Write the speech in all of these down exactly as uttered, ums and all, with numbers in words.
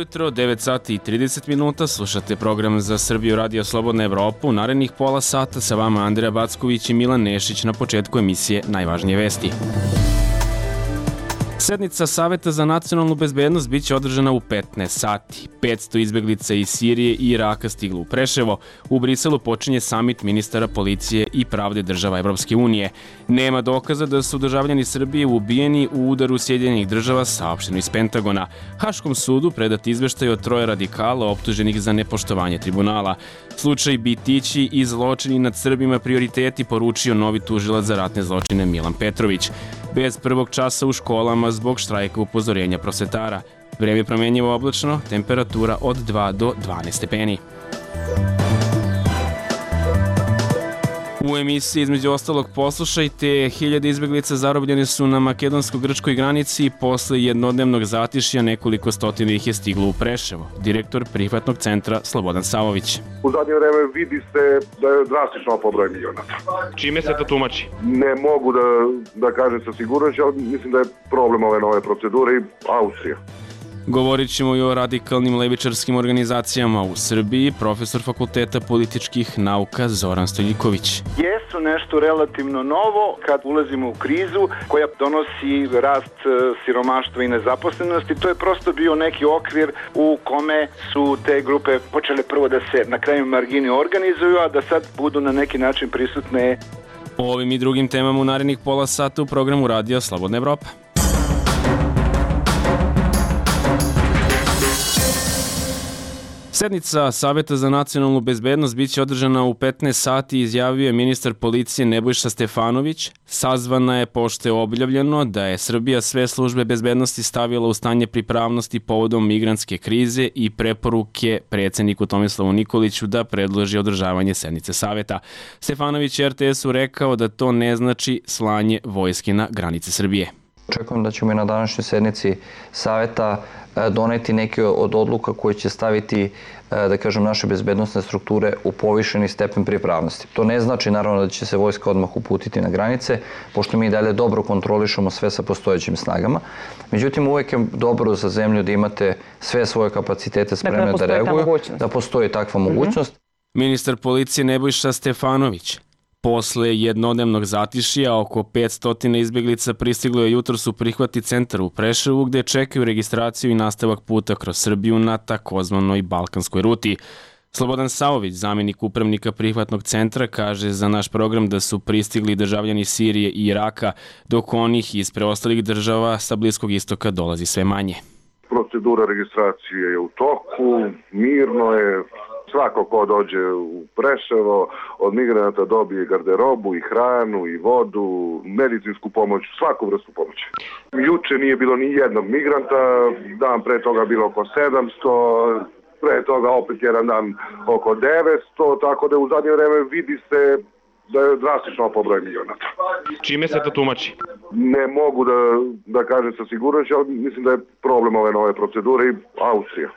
jutro, devet sati i trideset minuta, slušate program za Srbiju Radio Slobodna Evropa. U narednih pola sata sa vama Andreja Backović i Milan Nešić na početku emisije Najvažnije vesti. Sednica Saveta za nacionalnu bezbednost biće održana u petnaest sati. petsto izbeglica iz Sirije i Iraka stiglo u Preševo. U Briselu počinje samit ministara policije i pravde država Evropske unije. Nema dokaza da su državljani Srbije ubijeni u udaru Sjedinjenih država, saopšteno iz Pentagona. Haškom sudu predat izveštaj od troje radikala optuženih za nepoštovanje tribunala. Slučaj Bitići i zločini nad Srbima prioriteti, poručio novi tužilac za ratne zločine Milan Petrović. Bez prvog časa u školama zbog štrajka upozorenja prosvetara. Vreme promenjivo oblačno, temperatura od dva do dvanaest stepeni. U emisiji između ostalog poslušajte, hiljade izbeglica zarobljene su na makedonsko-grčkoj granici, posle jednodnevnog zatišja nekoliko stotina ih je stiglo u Preševo. Direktor prihvatnog centra Slobodan Savović. U zadnje vreme vidi se da je drastično pobroj milionata. Čime se to tumači? Ne mogu da, da kažem sa sigurnošću, ali mislim da je problem ove nove procedure i Austrija. Govorit ćemo i o radikalnim levičarskim organizacijama u Srbiji. Profesor Fakulteta političkih nauka Zoran Stojiljković. Jesu nešto relativno novo kad ulazimo u krizu koja donosi rast siromaštva i nezaposlenosti. To je prosto bio neki okvir u kome su te grupe počele prvo da se na kraju margini organizuju, a da sad budu na neki način prisutne. O ovim i drugim temama u narednih pola sata u programu Radija Slobodna Evropa. Sednica Saveta za nacionalnu bezbednost biće održana u petnaest sati, izjavio je ministar policije Nebojša Stefanović. Sazvana je pošto je objavljeno da je Srbija sve službe bezbednosti stavila u stanje pripravnosti povodom migrantske krize i preporuke predsjedniku Tomislavu Nikoliću da predloži održavanje sednice Saveta. Stefanović je er te esu rekao da to ne znači slanje vojske na granice Srbije. Očekujem da ćemo i na današnjoj sednici Saveta doneti neke od odluka koje će staviti, da kažem, naše bezbednosne strukture u povišeni stepen pripravnosti. To ne znači naravno da će se vojska odmah uputiti na granice, pošto mi dalje dobro kontrolišemo sve sa postojećim snagama. Međutim, uvek je dobro za zemlju da imate sve svoje kapacitete spremne dakle, da reaguju, da postoji takva mm-hmm. mogućnost. Ministar policije Nebojša Stefanović. Posle jednodnevnog zatišja, oko petsto izbeglica pristiglo je jutros u prihvatni centar u Preševu, gde čekaju registraciju i nastavak puta kroz Srbiju na takozvanoj balkanskoj ruti. Slobodan Savović, zamjenik upravnika prihvatnog centra, kaže za naš program da su pristigli državljani Sirije i Iraka, dok onih iz preostalih država sa Bliskog istoka dolazi sve manje. Procedura registracije je u toku, mirno je. Svako ko dođe u Preševo od migranata dobije garderobu i hranu i vodu, medicinsku pomoć, svaku vrstu pomoći. Juče nije bilo ni jednog migranta, dan pre toga bilo oko sedamsto, pre toga opet jedan dan oko devetsto, tako da u zadnje vreme vidi se da je drastično pobroj milionata. Čime se to tumači? Ne mogu da, da kažem sa sigurnošću, ali mislim da je problem ove nove procedure i Austrija.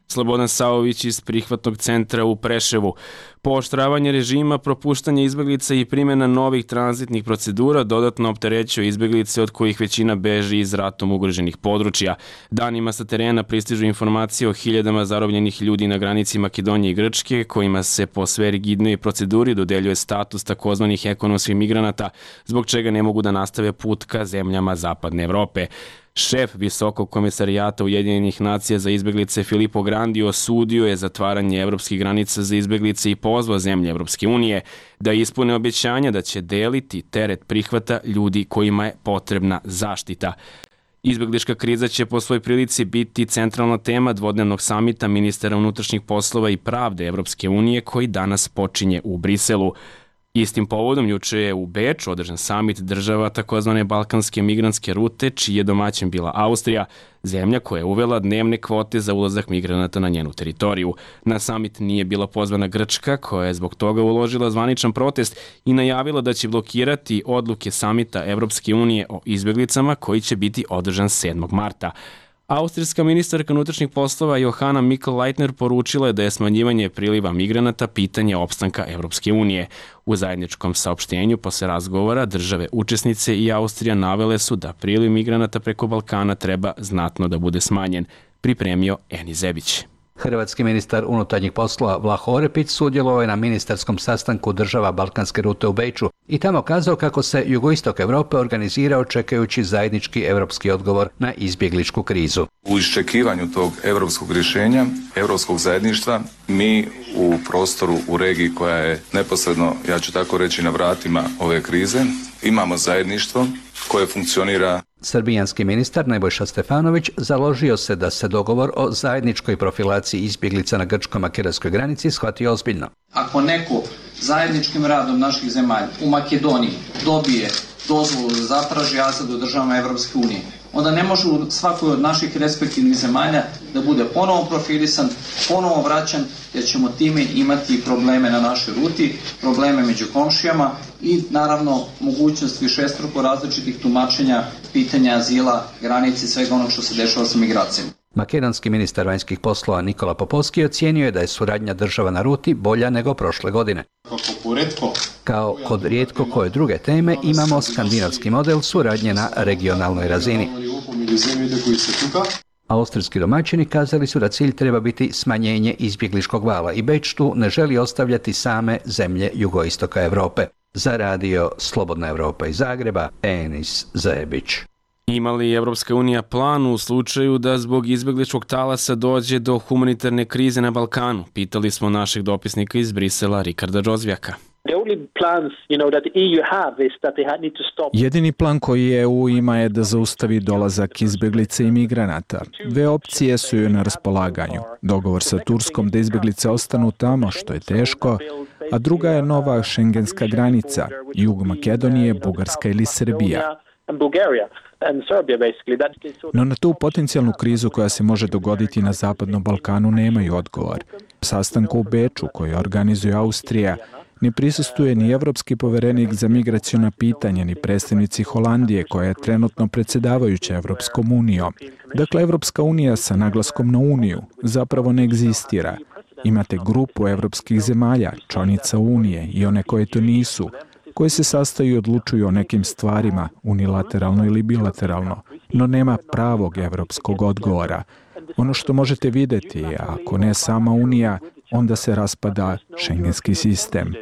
Slobodan Savović iz prihvatnog centra u Preševu. Pooštravanje režima, propuštanje izbeglica i primjena novih tranzitnih procedura dodatno opterećuje izbeglice od kojih većina beži iz ratom ugroženih područja. Danima sa terena pristižu informacije o hiljadama zarobljenih ljudi na granici Makedonije i Grčke, kojima se po sve rigidnoj proceduri dodeljuje status takozvanih ekonomskih migranata, zbog čega ne mogu da nastave put ka zemljama Zapadne Evrope. Šef Visokog komisarijata Ujedinjenih nacija za izbeglice Filippo Grandi osudio je zatvaranje evropskih granica za izbeglice i pozvao zemlje Evropske unije da ispune obećanja da će deliti teret prihvata ljudi kojima je potrebna zaštita. Izbeglička kriza će po svoj prilici biti centralna tema dvodnevnog samita ministara unutrašnjih poslova i pravde Evropske unije koji danas počinje u Briselu. Istim povodom juče je u Beču održan samit država takozvane balkanske migrantske rute, čiji je domaćin bila Austrija, zemlja koja je uvela dnevne kvote za ulazak migranata na njenu teritoriju. Na samit nije bila pozvana Grčka, koja je zbog toga uložila zvaničan protest i najavila da će blokirati odluke samita Evropske unije o izbeglicama koji će biti održan sedmog marta. Austrijska ministarka unutrašnjih poslova Johanna Mikl-Leitner poručila je da je smanjivanje priliva migranata pitanje opstanka Evropske unije. U zajedničkom saopštenju posle razgovora države učesnice i Austrija navele su da priliv migranata preko Balkana treba znatno da bude smanjen. pripremio Eni Zebić. Hrvatski ministar unutarnjih poslova Vlaho Orepić sudjelovao je na ministarskom sastanku država Balkanske rute u Beču i tamo kazao kako se jugoistok Europe organizirao čekajući zajednički europski odgovor na izbjegličku krizu. U iščekivanju tog europskog rješenja, europskog zajedništva, mi u prostoru, u regiji koja je neposredno, ja ću tako reći, na vratima ove krize, imamo zajedništvo koje funkcionira. Srbijanski ministar Nebojša Stefanović založio se da se dogovor o zajedničkoj profilaciji izbjeglica na grčko-makedonskoj granici shvati ozbiljno. Ako neko zajedničkim radom naših zemalja u Makedoniji dobije dozvolu da zatraži azil u državama Evropske unije, onda ne može u svakoj od naših respektivnih zemalja da bude ponovo profilisan, ponovo vraćan, jer ćemo time imati probleme na našoj ruti, probleme među komšijama i naravno mogućnost višestruko različitih tumačenja pitanja azila, granice i svega onog što se dešava sa migracijama. Makedonski ministar vanjskih poslova Nikola Popovski ocijenio je da je suradnja država na ruti bolja nego prošle godine. Kao kod rijetko koje druge teme imamo skandinavski model suradnje na regionalnoj razini. Austrijski domaćini kazali su da cilj treba biti smanjenje izbjegličkog vala i Beč tu ne želi ostavljati same zemlje jugoistoka Europe. Za radio Slobodna Europa iz Zagreba, Enis Zebić. Ima li Evropska unija plan u slučaju da zbog izbjegličkog talasa dođe do humanitarne krize na Balkanu? Pitali smo našeg dopisnika iz Brisela, Rikarda Džozvjaka. Jedini plan koji E U ima je da zaustavi dolazak izbjeglica i migranata. Dve opcije su joj na raspolaganju. Dogovor sa Turskom da izbjeglice ostanu tamo, što je teško, a druga je nova šengenska granica, jug Makedonije, Bugarska ili Srbija. No na tu potencijalnu krizu koja se može dogoditi na Zapadnom Balkanu nemaju odgovor. Sastanku u Beču koji organizuje Austrija ne prisustuje ni evropski poverenik za migraciona pitanja, ni predstavnici Holandije koja je trenutno predsjedavajuća Evropskom unijom. Dakle, Evropska unija sa naglaskom na uniju zapravo ne egzistira. Imate grupu evropskih zemalja, članica unije i one koje to nisu, koje se sastaju i odlučuju o nekim stvarima, unilateralno ili bilateralno, no nema pravog evropskog odgovora. Ono što možete vidjeti je, ako ne sama Unija, onda se raspada šengenski sistem.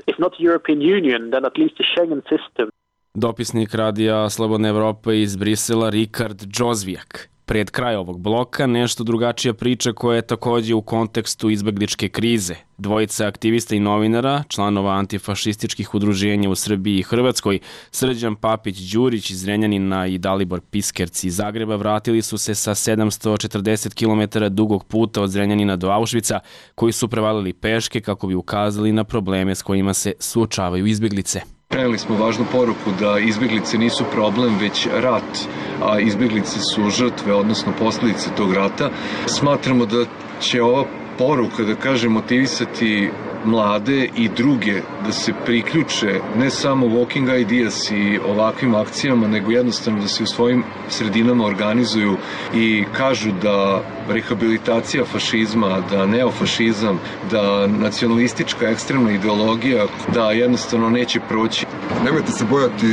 Dopisnik radija Slobodna Evropa iz Brisela, Rikard Džozvjak. Pred kraj ovog bloka nešto drugačija priča koja je također u kontekstu izbjegličke krize. Dvojica aktivista i novinara, članova antifašističkih udruženja u Srbiji i Hrvatskoj, Srđan Papić-Đurić iz Zrenjanina i Dalibor Piskerc iz Zagreba, vratili su se sa sedamsto četrdeset kilometara dugog puta od Zrenjanina do Auschwitza, koji su prevalili peške kako bi ukazali na probleme s kojima se suočavaju izbjeglice. Prenijeli smo važnu poruku da izbjeglice nisu problem, već rat, a izbjeglice su žrtve, odnosno posljedice tog rata. Smatramo da će ova poruka, da kažem, motivisati mlade i druge da se priključe ne samo Walking Ideas i ovakvim akcijama, nego jednostavno da se u svojim sredinama organizuju i kažu da rehabilitacija fašizma, da neofašizam, da nacionalistička ekstremna ideologija, da jednostavno neće proći. Nemojte se bojati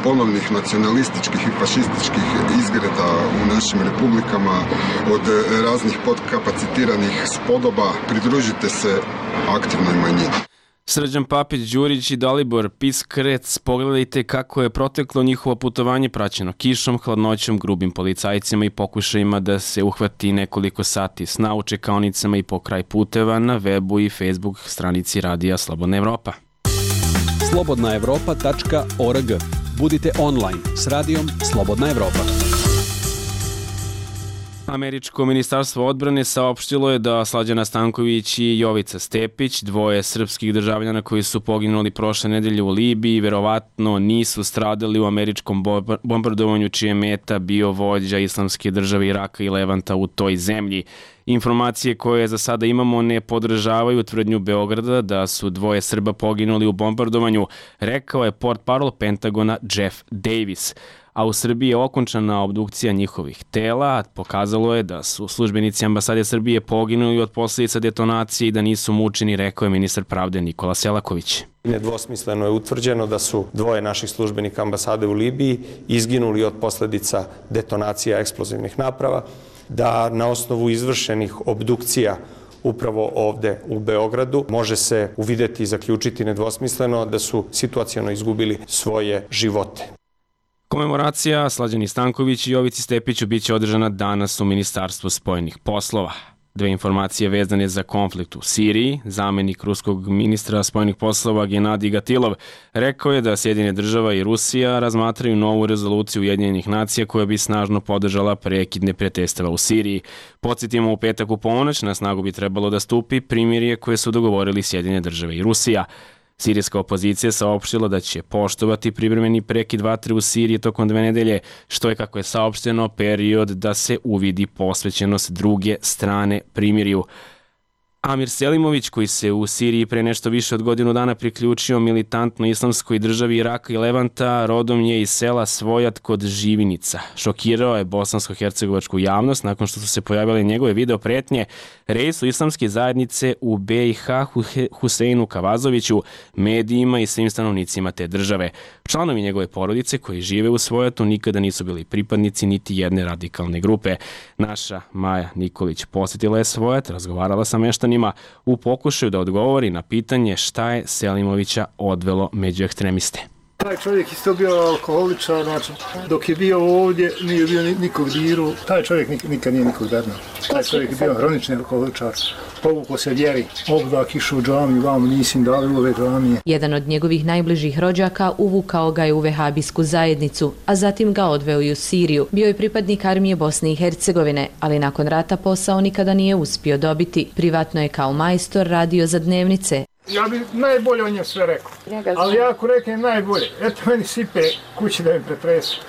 ponovnih nacionalističkih i fašističkih izgreda u našim republikama od raznih podkapacitiranih spodoba. Pridružite se aktivnoj manjini. Srđan Papić-Đurić i Dalibor Piskrec, pogledajte kako je proteklo njihovo putovanje praćeno kišom, hladnoćom, grubim policajcima i pokušajima da se uhvati nekoliko sati sna u čekaonicama i pokraj puteva na webu i Facebook stranici radija Slobodna Evropa. slobodna evropa tačka org. Budite online s radijom Slobodna Evropa. Američko ministarstvo odbrane saopštilo je da Slađana Stanković i Jovica Stepić, dvoje srpskih državljana koji su poginuli prošle nedelje u Libiji, verovatno nisu stradali u američkom bombardovanju čije meta bio vođa Islamske države Iraka i Levanta u toj zemlji. Informacije koje za sada imamo ne podržavaju tvrdnju Beograda da su dvoje Srba poginuli u bombardovanju, rekao je portparol Pentagona Jeff Davis. A u Srbiji je okončana obdukcija njihovih tela, pokazalo je da su službenici ambasade Srbije poginuli od posljedica detonacije i da nisu mučeni, rekao je ministar pravde Nikola Selaković. Nedvosmisleno je utvrđeno da su dvoje naših službenika ambasade u Libiji izginuli od posljedica detonacija eksplozivnih naprava. da na osnovu izvršenih obdukcija upravo ovde u Beogradu može se uvideti i zaključiti nedvosmisleno da su situaciono izgubili svoje živote. Komemoracija Slađani Stanković i Jovici Stepiću biće održana danas u Ministarstvu spoljnih poslova. Dve informacije vezane za konflikt u Siriji. Zamenik ruskog ministra spoljnih poslova Genadij Gatilov rekao je da Sjedinjene države i Rusija razmatraju novu rezoluciju Ujedinjenih nacija koja bi snažno podržala prekid neprijateljstava u Siriji. Podsjetimo, u petak u ponoć na snagu bi trebalo da stupi primirje koje su dogovorili Sjedinjene države i Rusija. Sirijska opozicija saopštila da će poštovati privremeni prekid vatre u Siriji tokom dve nedelje, što je, kako je saopšteno, period da se uvidi posvećenost druge strane primirju. Amir Selimović, koji se u Siriji pre nešto više od godinu dana priključio militantno islamskoj državi Iraka i Levanta, rodom je iz sela Svojat kod Živinica. Šokirao je bosansko-hercegovačku javnost nakon što su se pojavile njegove video pretnje reisu islamske zajednice u B i H Huseinu Kavazoviću, medijima i svim stanovnicima te države. Članovi njegove porodice koji žive u Svojatu nikada nisu bili pripadnici niti jedne radikalne grupe. Naša Maja Nikolić posjetila je Svojat, razgovarala sa meštanima u pokušaju da odgovori na pitanje šta je Selimovića odvelo među ekstremiste. Taj čovjek isto bio alkoholičar, znači dok je bio ovdje nije bio nikog diru, taj čovjek nikad nije nikog dernao. Taj čovjek je bio hronični alkoholičar, povukao se vjeri, obdak išao u džamiju, vam nisim dali ove džamije. Jedan od njegovih najbližih rođaka uvukao ga je u vehabijsku zajednicu, a zatim ga odveo i u Siriju. Bio je pripadnik armije Bosne i Hercegovine, ali nakon rata posao nikada nije uspio dobiti. Privatno je kao majstor radio za dnevnice. Ja bi najbolje o njem sve rekao, ali ja ako reknem najbolje, eto meni sipe kući da mi pretresu.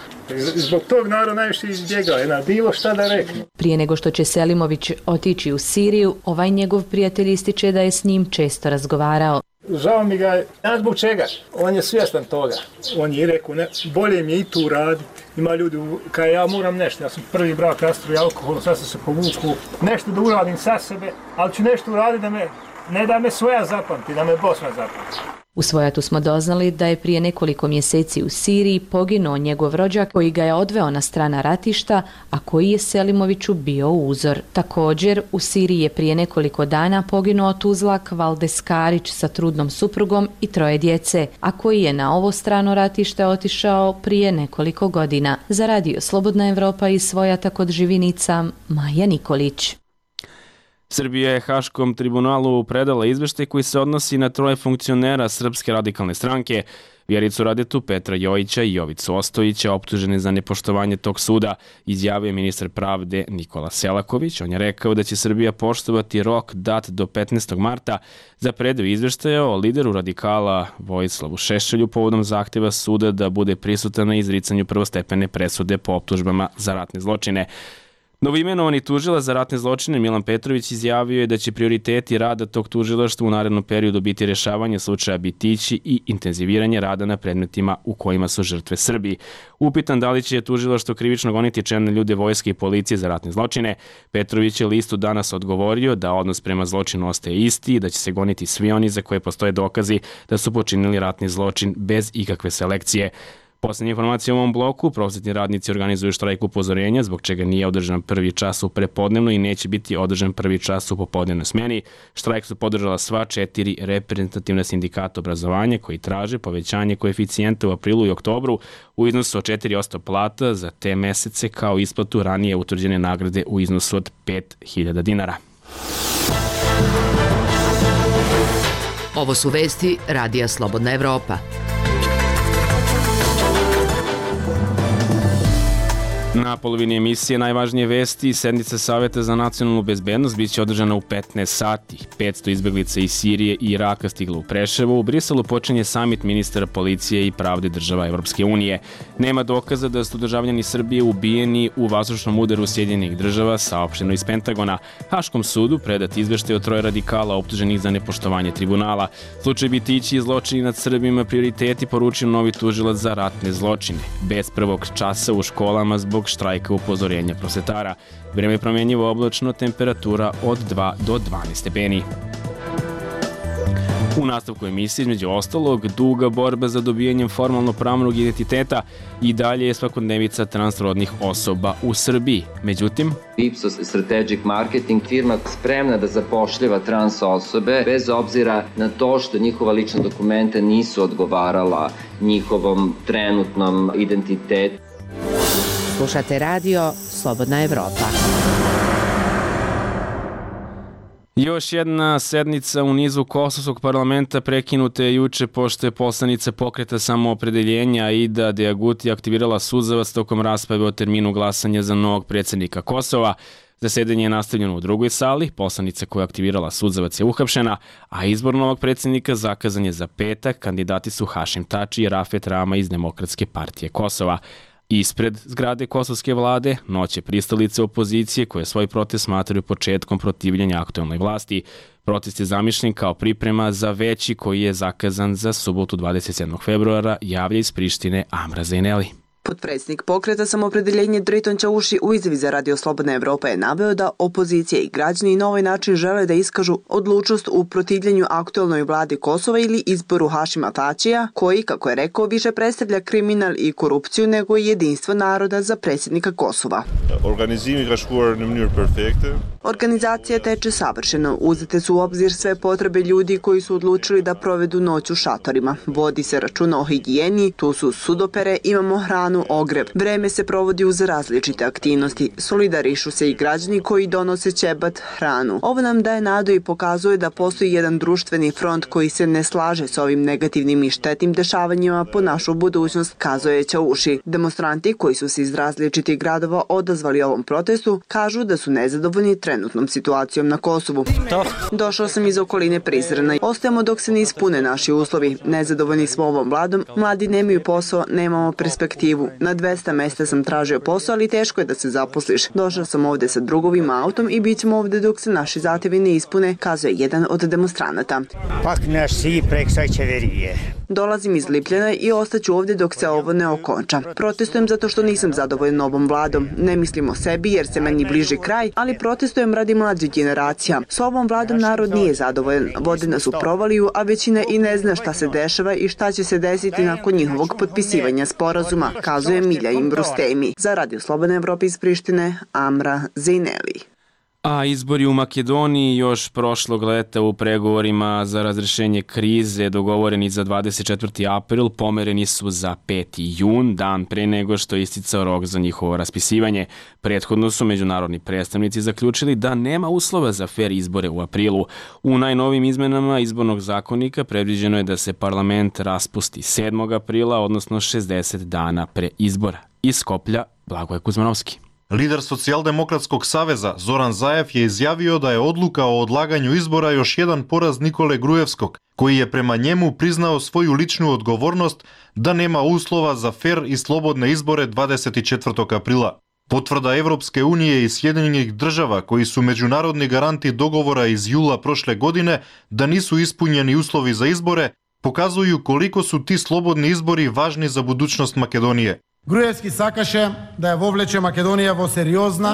Zbog tog narod najviše izbjegao, na bilo šta da rekne. Prije nego što će Selimović otići u Siriju, ovaj njegov prijatelj ističe da je s njim često razgovarao. Žao mi ga je, ja zbog čega? On je svjestan toga. On je rekao, ne, bolje mi je i tu raditi. Ima ljudi, kada ja moram nešto, ja sam prvi brak rastruje alkohol, sad sam se povuku, nešto da uradim sa sebe, ali ću nešto uraditi da me, ne da me svoja zapamti, da me Bosna zapamti. U Svojatu smo doznali da je prije nekoliko mjeseci u Siriji poginuo njegov rođak koji ga je odveo na strana ratišta, a koji je Selimoviću bio uzor. Također, u Siriji je prije nekoliko dana poginuo Tuzlak Valdes Karić sa trudnom suprugom i troje djece, a koji je na ovo strano ratište otišao prije nekoliko godina. Za radio Slobodna Evropa iz Svojata kod Živinica, Maja Nikolić. Srbija je Haškom tribunalu predala izveštaj koji se odnosi na troje funkcionera Srpske radikalne stranke, Vjericu Radetu, Petra Jojića i Jovicu Ostojića, optužene za nepoštovanje tog suda, izjavio je ministar pravde Nikola Selaković. On je rekao da će Srbija poštovati rok dat do petnaestog marta za predaju izveštaja o lideru radikala Vojislavu Šešelju povodom zahtjeva suda da bude prisutan na izricanju prvostepene presude po optužbama za ratne zločine. Novoimenovani tužilac za ratne zločine Milan Petrović izjavio je da će prioriteti rada tog tužilaštva u narednom periodu biti rješavanje slučaja Bitići i intenziviranje rada na predmetima u kojima su žrtve Srbi. Upitan da li će tužilaštvo krivično goniti čelne ljude vojske i policije za ratne zločine, Petrović je listu danas odgovorio da odnos prema zločinu ostaje isti i da će se goniti svi oni za koje postoje dokazi da su počinili ratni zločin bez ikakve selekcije. Poslednje informacije u ovom bloku, prosvetni radnici organizuju štrajk upozorenja, zbog čega nije održan prvi čas u prepodnevno i neće biti održan prvi čas u popodnevnoj smeni. Štrajk su podržala sva četiri reprezentativna sindikata obrazovanja koji traže povećanje koeficijenta u aprilu i oktobru u iznosu od četiri posto plata za te mesece kao isplatu ranije utvrđene nagrade u iznosu od pet hiljada dinara. Ovo su vesti Radija Slobodna Evropa. Na polovini emisije najvažnije vesti, sednica Saveta za nacionalnu bezbednost biće održana u petnaest sati. petsto izbeglica iz Sirije i Iraka stiglo u Preševo. U Briselu počinje samit ministara policije i pravde država Evropske unije. Nema dokaza da su državljani Srbije ubijeni u vazdušnom udaru Sjedinjenih država, saopšteno iz Pentagona. Haškom sudu predat izveštaj o troje radikala optuženih za nepoštovanje tribunala. Slučaj Bitići i zločini nad Srbima prioriteti, poručio novi tužilac za ratne zločine. Bez prvog časa u školama zbog štrajka upozorenja prosvetara. Vreme je promjenjivo oblačno, temperatura od dva do dvanaest stepeni. U nastavku emisije, između ostalog, duga borba za dobijanjem formalno pravnog identiteta i dalje je svakodnevica transrodnih osoba u Srbiji. Međutim, Ipsos Strategic Marketing firma spremna da zapošljava trans osobe bez obzira na to što njihova lična dokumenta nisu odgovarala njihovom trenutnom identitetu. Slušate radio Slobodna Evropa. Još jedna sednica u nizu Kosovskog parlamenta prekinuta je juče pošto je poslanica Pokreta samoopredeljenja Aida Deaguti aktivirala suzavac tokom rasprave o terminu glasanja za novog predsjednika Kosova. Zasedanje je nastavljeno u drugoj sali, poslanica koja je aktivirala suzavac je uhapšena, a izbor novog predsjednika zakazan je za petak. Kandidati su Hašim Tači i Rafet Rama iz Demokratske partije Kosova. Ispred zgrade kosovske vlade noće pristalice opozicije koje svoj protest smatraju početkom protivljenja aktuelnoj vlasti. Protest je zamišljen kao priprema za veći koji je zakazan za subotu dvadeset sedmog februara, javlja iz Prištine Amra Zejneli. Potpredsjednik Pokreta samoopredeljenja Driton Čauši u izjavi za Radio Slobodna Evropa je naveo da opozicija i građani na ovaj način žele da iskažu odlučnost u protivljenju aktuelnoj vladi Kosova ili izboru Hašima Tačija, koji, kako je rekao, više predstavlja kriminal i korupciju nego jedinstvo naroda za predsjednika Kosova. Organizacija teče savršeno. Uzete su u obzir sve potrebe ljudi koji su odlučili da provedu noć u šatorima. Vodi se računa o higijeni, tu su sudopere, imamo hranu, ogrev. Vreme se provodi uz različite aktivnosti. Solidarišu se i građani koji donose ćebat, hranu. Ovo nam daje nadu i pokazuje da postoji jedan društveni front koji se ne slaže s ovim negativnim i štetnim dešavanjima po našu budućnost, kazuje Čauši. Demonstranti koji su se iz različitih gradova odazvali ovom protestu kažu da su nezadovoljni trenutnom situacijom na Kosovu. Došao sam iz okoline Prizrena. Ostajemo dok se ne ispune naši uslovi. Nezadovoljni smo ovom vladom, mladi nemaju posao, nemamo perspektivu. Na dvesta mesta sam tražio posao, ali teško je da se zaposliš. Došao sam ovde sa drugovim autom i bit ćemo ovde dok se naši zahtevi ne ispune, kazuje jedan od demonstranata. Pak naš si prek sajčeverije. Dolazim iz Lipljana i ostaću ovde dok se ovo ne okonča. Protestujem zato što nisam zadovoljan ovom vladom. Ne mislim o sebi jer se meni bliži kraj, ali protestujem radi mlađih generacija. S ovom vladom narod nije zadovoljan. Vode nas u provaliju, a većina i ne zna šta se dešava i šta će se desiti nakon njihovog potpisivanja sporazuma, kazuje Milja Imbrustemi. Za Radio Slobodna Evropa iz Prištine, Amra Zejneli. A izbori u Makedoniji još prošlog leta u pregovorima za razrešenje krize dogovoreni za dvadeset četvrti april pomereni su za peti jun, dan pre nego što je isticao rok za njihovo raspisivanje. Prethodno su međunarodni predstavnici zaključili da nema uslova za fer izbore u aprilu. U najnovim izmenama izbornog zakonika predviđeno je da se parlament raspusti sedmog aprila, odnosno šezdeset dana pre izbora. Iz Skoplja, Blagoje Kuzmanovski. Lider Socijaldemokratskog saveza Zoran Zaev je izjavio da je odluka o odlaganju izbora još jedan poraz Nikole Grujevskog, koji je prema njemu priznao svoju ličnu odgovornost da nema uslova za fer i slobodne izbore dvadeset četvrtog aprila. Potvrda Evropske unije i Sjedinjenih država, koji su međunarodni garanti dogovora iz jula prošle godine da nisu ispunjeni uslovi za izbore, pokazuju koliko su ti slobodni izbori važni za budućnost Makedonije. Груевски сакаше да ја вовлече Македонија во сериозна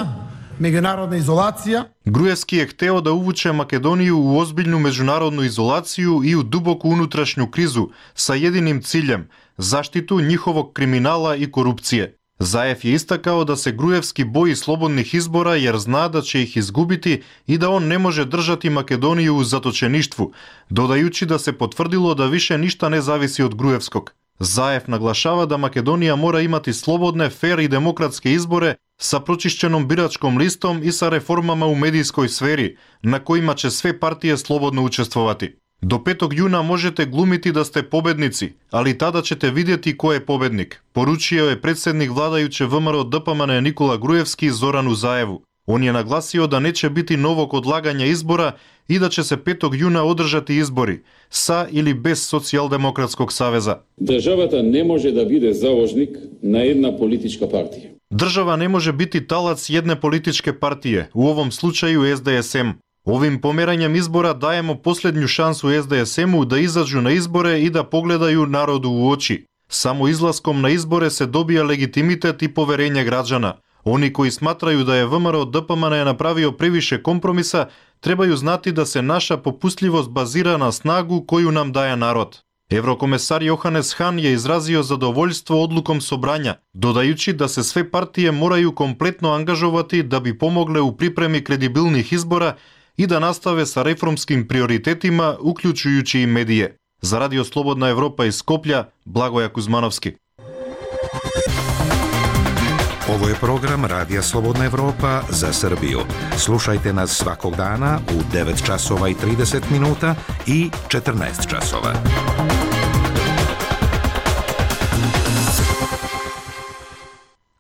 меѓународна изолација. Груевски е хтео да увуче Македонiju u ozbiljnu međunarodnu izolaciju i u duboku unutrašnju krizu sa jedinim ciljem – zaštitu njihovog kriminala i korupcije. Zaev je istakao da se Gruevski boji slobodnih izbora jer zna da će ih izgubiti i da on ne može držati Makedoniju u zatočeništvu, dodajući da se potvrdilo da više ništa ne zavisi od Gruevskog. Zaev naglašava da Makedonija mora imati slobodne, fer i demokratske izbore sa pročišćenom biračkom listom i sa reformama u medijskoj sferi, na kojima će sve partije slobodno učestvovati. Do petog juna možete glumiti da ste pobednici, ali tada ćete vidjeti ko je pobednik, poručio je predsjednik vladajuće V M R O D P M N Nikola Grujevski Zoranu Zaevu. On je naglasio da neće biti novog odlaganja izbora i da će se petog juna održati izbori, sa ili bez Socijaldemokratskog saveza. Državata ne može da bude založnik na jedna politička partija. Država ne može biti talac jedne političke partije, u ovom slučaju S D S M. Ovim pomeranjem izbora dajemo posljednju šansu S D S M-u da izađu na izbore i da pogledaju narodu u oči. Samo izlaskom na izbore se dobija legitimitet i poverenje građana. Oni koji smatraju da je V M R O D P M N napravio previše kompromisa, trebaju znati da se naša popustljivost bazira na snagu koju nam daje narod. Еврокомесар Јоханес Хан je izrazio zadovoljstvo odlukom sobranja, dodajući da se sve partije moraju kompletno angažovati da bi pomogle u pripremi kredibilnih izbora i da nastave sa reformskim prioritetima, uključujući i medije. Za Radio Slobodna Evropa iz Skoplja, Blagoja Kuzmanovski. Ovo je program Radija Slobodna Evropa za Srbiju. Slušajte nas svakog dana u devet časova i trideset minuta i četrnaest časova.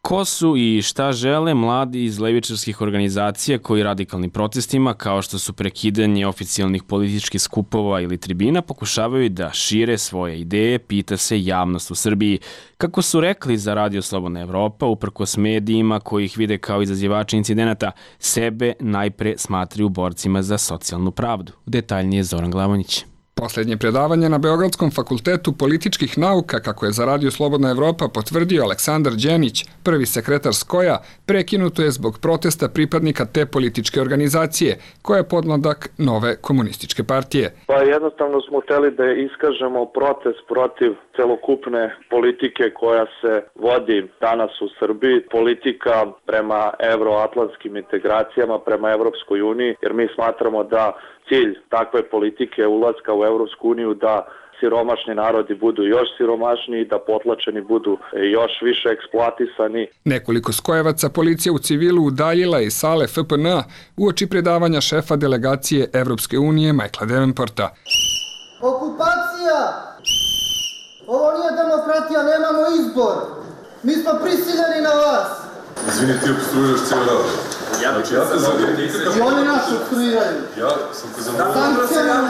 Ko su i šta žele mladi iz levičarskih organizacija koji radikalnim protestima, kao što su prekidanje oficijalnih političkih skupova ili tribina, pokušavaju da šire svoje ideje, pita se javnost u Srbiji. Kako su rekli za Radio Slobodna Evropa, uprkos medijima koji ih vide kao izazivači incidenata, sebe najpre smatraju borcima za socijalnu pravdu. Detaljnije Zoran Glavonić. Poslednje predavanje na Beogradskom fakultetu političkih nauka, kako je za Radio Slobodna Evropa potvrdio Aleksandar Đenić, prvi sekretar Skoja, prekinuto je zbog protesta pripadnika te političke organizacije, koja je podmladak nove komunističke partije. Pa jednostavno smo hteli da iskažemo protest protiv celokupne politike koja se vodi danas u Srbiji, politika prema evroatlantskim integracijama, prema Evropskoj uniji, jer mi smatramo da cilj takve politike ulaska u Evropsku uniju da siromašni narodi budu još siromašniji, da potlačeni budu još više eksploatisani. Nekoliko skojevaca policija u civilu udaljila iz sale F P N uoči predavanja šefa delegacije Evropske unije Michaela Davenporta. Okupacija! Ovo nije demokratija, nemamo izbor. Mi smo prisiljeni na vas. Izvini, ti obstruiraš cijel rad. Znači, ja te zavijem nikakav... I oni nas obstruiraju. Ja sam te zavijem... Sankcionalno,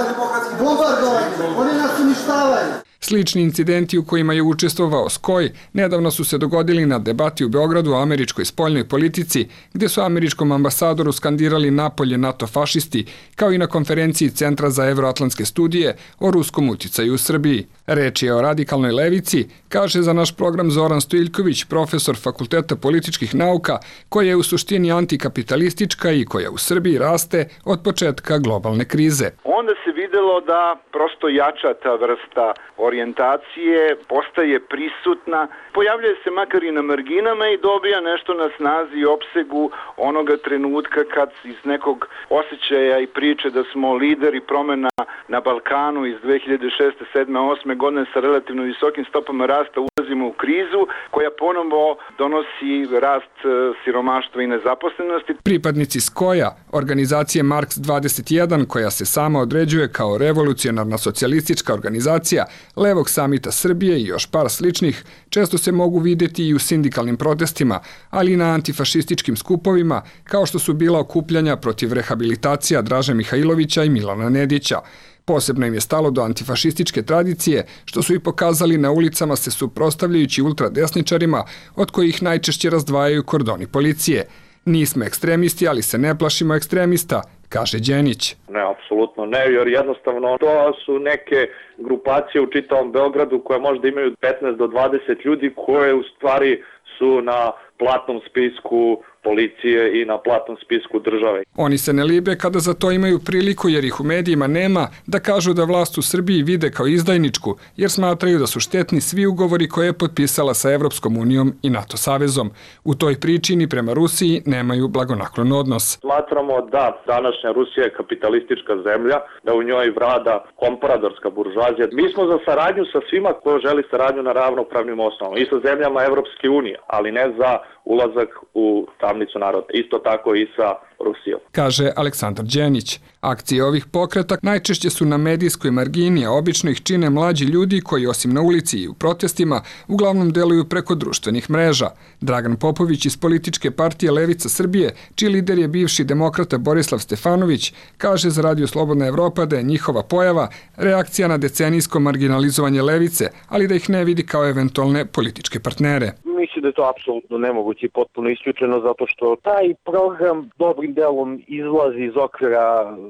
bombardovanje, oni nas uništavaju. Slični incidenti u kojima je učestvovao Skoj nedavno su se dogodili na debati u Beogradu o američkoj spoljnoj politici, gde su američkom ambasadoru skandirali napolje NATO fašisti, kao i na konferenciji Centra za evroatlantske studije o ruskom uticaju u Srbiji. Reč je o radikalnoj levici, kaže za naš program Zoran Stojiljković, profesor Fakulteta političkih nauka, koja je u suštini antikapitalistička i koja u Srbiji raste od početka globalne krize. Onda se videlo da prosto jača ta vrsta orijentacije, postaje prisutna, pojavljuje se makar i na marginama i dobija nešto na snazi i opsegu onoga trenutka kad iz nekog osjećaja i priče da smo lideri promena na Balkanu iz dve hiljade šeste, sedme, osme godine sa relativno visokim stopama rasta ulazimo u krizu koja ponovo donosi rast siromaštva i nezaposlenosti. Pripadnici Skoja, organizacije Marks dvadeset jedan, koja se sama određuje kao revolucionarna socijalistička organizacija, Levog samita Srbije i još par sličnih, često se mogu videti i u sindikalnim protestima, ali i na antifašističkim skupovima, kao što su bila okupljanja protiv rehabilitacija Draže Mihajlovića i Milana Nedića. Posebno im je stalo do antifašističke tradicije, što su i pokazali na ulicama se suprotstavljajući ultradesničarima, od kojih najčešće razdvajaju kordoni policije. Nismo ekstremisti, ali se ne plašimo ekstremista, kaže Đenić. Ne, apsolutno ne, jer jednostavno to su neke grupacije u čitavom Beogradu koje možda imaju petnaest do dvadeset ljudi koje u stvari su na platnom spisku policije i na platnom spisku države. Oni se ne libe kada za to imaju priliku, jer ih u medijima nema, da kažu da vlast u Srbiji vide kao izdajničku, jer smatraju da su štetni svi ugovori koje je potpisala sa Evropskom unijom i NATO savezom. U toj priči ni prema Rusiji nemaju blagonaklon odnos. Smatramo da današnja Rusija je kapitalistička zemlja, da u njoj vlada kompradorska buržuazija. Mi smo za saradnju sa svima ko želi saradnju na ravnopravnim osnovama i sa zemljama Evropske unije, ali ne za ulazak u tamnicu naroda. Isto tako i sa Rusijom. Kaže Aleksandar Đenić. Akcije ovih pokreta najčešće su na medijskoj margini, a obično ih čine mlađi ljudi koji osim na ulici i u protestima uglavnom deluju preko društvenih mreža. Dragan Popović iz političke partije Levica Srbije, čiji lider je bivši demokrata Borislav Stefanović, kaže za Radio Slobodna Evropa da je njihova pojava reakcija na decenijsko marginalizovanje levice, ali da ih ne vidi kao eventualne političke partnere. Mi se mislim da je to apsolutno nemoguće i potpuno isključeno zato što taj program dobrim delom izlazi iz okvira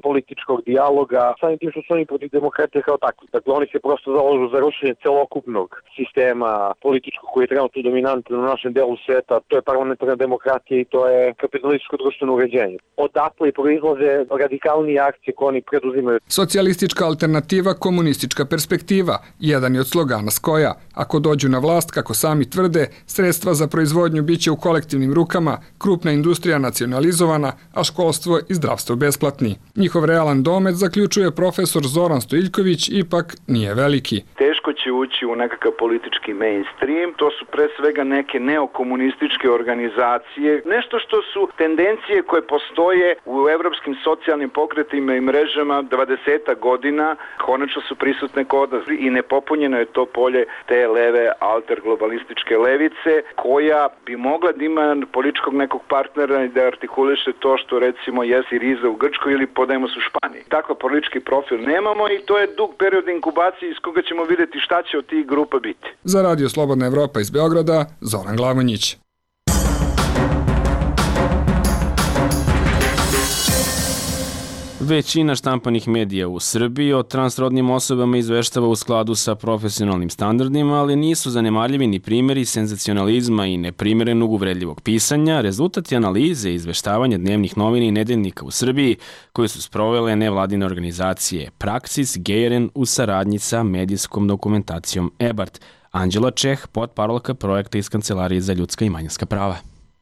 političkog dijaloga, samim tim što su oni protiv demokratije kao takvi. Dakle, oni se prosto zalažu za rušenje celokupnog sistema političkog koji je trenutno dominantan u našem delu sveta, to je parlamentarna demokratija i to je kapitalističko društveno uređenje. Odatle proizlaze radikalnije akcije koje oni preduzimaju. Socijalistička alternativa, komunistička perspektiva, jedan je od slogana Skoja. Ako dođu na vlast, kako sami tvrde, sredstva za proizvodnju biće u kolektivnim rukama, krupna industrija nacionalizovana, a školstvo i zdravstvo besplatni. Njihov realan domet, zaključuje profesor Zoran Stojiljković, ipak nije veliki. Teško će ući u nekakav politički mainstream, to su pre svega neke neokomunističke organizacije, nešto što su tendencije koje postoje u evropskim socijalnim pokretima i mrežama dvadeset godina, konačno su prisutne kod nas i nepopunjeno je to polje te leve alterglobalističke levice koja bi mogla da ima političkog nekog partnera i da artikuliše to što recimo je Siriza u Grčkoj ili Podemos u Španiji. Takav politički profil nemamo i to je dug period inkubacije iz koga ćemo vidjeti šta će od tih grupa biti. Za Radio Slobodna Evropa iz Beograda, Zoran Glavonjić. Većina štampanih medija u Srbiji o transrodnim osobama izveštava u skladu sa profesionalnim standardima, ali nisu zanemarljivi ni primjeri senzacionalizma i neprimerenog uvredljivog pisanja, rezultati analize i izveštavanja dnevnih novina i nedeljnika u Srbiji, koje su sprovele nevladine organizacije Praksis, Gejren u saradnji sa medijskom dokumentacijom EBART. Anđela Čeh, potparolka projekta iz Kancelarije za ljudska i manjinska prava.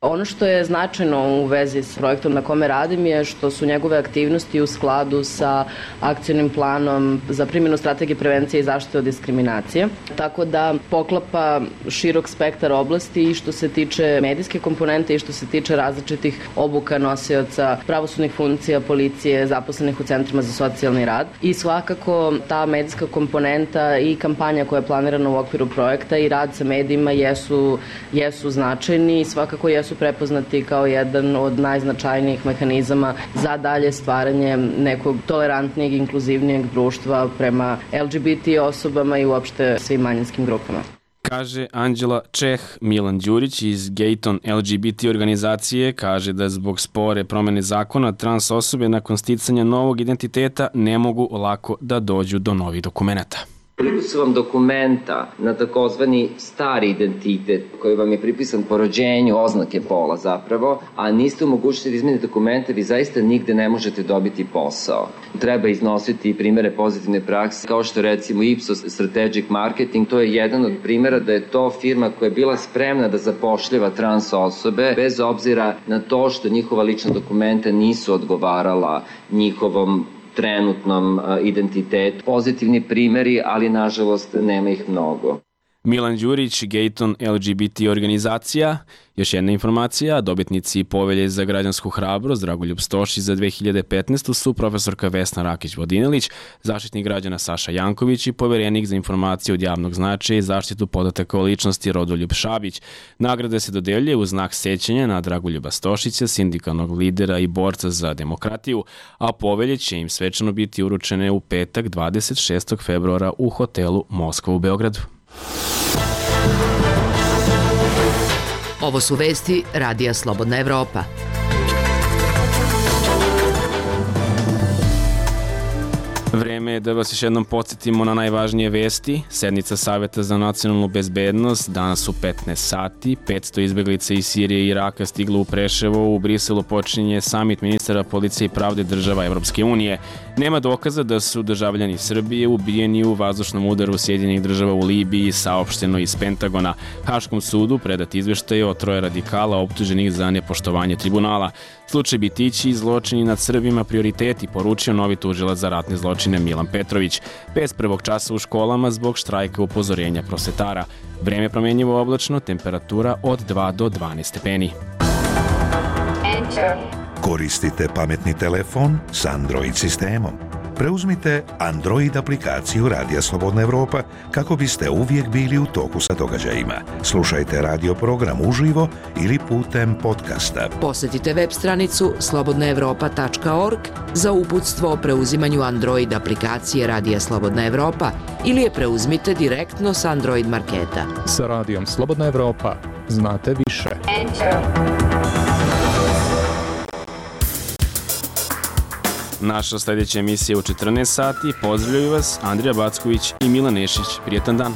Ono što je značajno u vezi s projektom na kome radim je što su njegove aktivnosti u skladu sa akcionim planom za primjenu strategije prevencije i zaštite od diskriminacije. Tako da poklapa širok spektar oblasti i što se tiče medijske komponente i što se tiče različitih obuka nosioca pravosudnih funkcija, policije, zaposlenih u centrima za socijalni rad. I svakako ta medijska komponenta i kampanja koja je planirana u okviru projekta i rad sa medijima jesu, jesu značajni i svakako jesu su prepoznati kao jedan od najznačajnijih mehanizama za dalje stvaranje nekog tolerantnijeg, inkluzivnijeg društva prema L G B T osobama i uopšte svim manjinskim grupama. Kaže Anđela Čeh. Milan Đurić iz Gayton L G B T organizacije kaže da zbog spore promene zakona trans osobe nakon sticanja novog identiteta ne mogu lako da dođu do novih dokumenta. Koliko su vam dokumenta na takozvani stari identitet koji vam je pripisan po rođenju, oznake pola zapravo, a niste u mogućnosti da izmenite dokumente, vi zaista nigde ne možete dobiti posao. Treba iznositi primere pozitivne prakse, kao što recimo Ipsos Strategic Marketing, to je jedan od primjera da je to firma koja je bila spremna da zapošljava trans osobe, bez obzira na to što njihova lična dokumenta nisu odgovarala njihovom trenutnom identitetu. Pozitivni primjeri, ali nažalost nema ih mnogo. Milan Đurić, Gayton L G B T organizacija. Još jedna informacija, dobitnici povelje za građansku hrabrost Dragoljub Stošić za dve hiljade petnaestu su profesorka Vesna Rakić-Vodinelić, zaštitnik građana Saša Janković i poverenik za informacije od javnog značaja i zaštitu podataka o ličnosti Rodoljub Šabić. Nagrada se dodeljuje u znak sećanja na Dragoljuba Stošića, sindikalnog lidera i borca za demokratiju, a povelje će im svečano biti uručene u petak dvadeset šestog februara u hotelu Moskva u Beogradu. Ovo su vesti Radija Slobodna Evropa. Vreme je da vas još jednom podsjetimo na najvažnije vesti. Sednica Saveta za nacionalnu bezbednost danas u petnaest sati. petsto izbeglica iz Sirije i Iraka stiglo u Preševo. U Briselu počinje samit ministara policije i pravde država Evropske unije. Nema dokaza da su državljani Srbije ubijeni u vazdušnom udaru Sjedinjenih država u Libiji, saopšteno iz Pentagona. Haškom sudu predat izveštaj o troje radikala optuženih za nepoštovanje tribunala. Slučaj Bitići i zločini nad Srbima prioriteti, poručio novi tužilac za ratne zločine Milan Petrović. Bez prvog časa u školama zbog štrajka upozorenja prosvetara. Vreme promenjivo oblačno, temperatura od dva do dvanaest stepeni. Koristite pametni telefon s Android sistemom. Preuzmite Android aplikaciju Radija Slobodna Evropa kako biste uvijek bili u toku sa događajima. Slušajte radio program uživo ili putem podcasta. Posjetite web stranicu slobodna evropa tačka org za uputstvo o preuzimanju Android aplikacije Radija Slobodna Evropa ili je preuzmite direktno s Android marketa. Sa Radijom Slobodna Evropa znate više. Naša sljedeća emisija u četrnaest sati. Pozdravljaju vas Andrija Backović i Milan Nešić. Prijetan dan.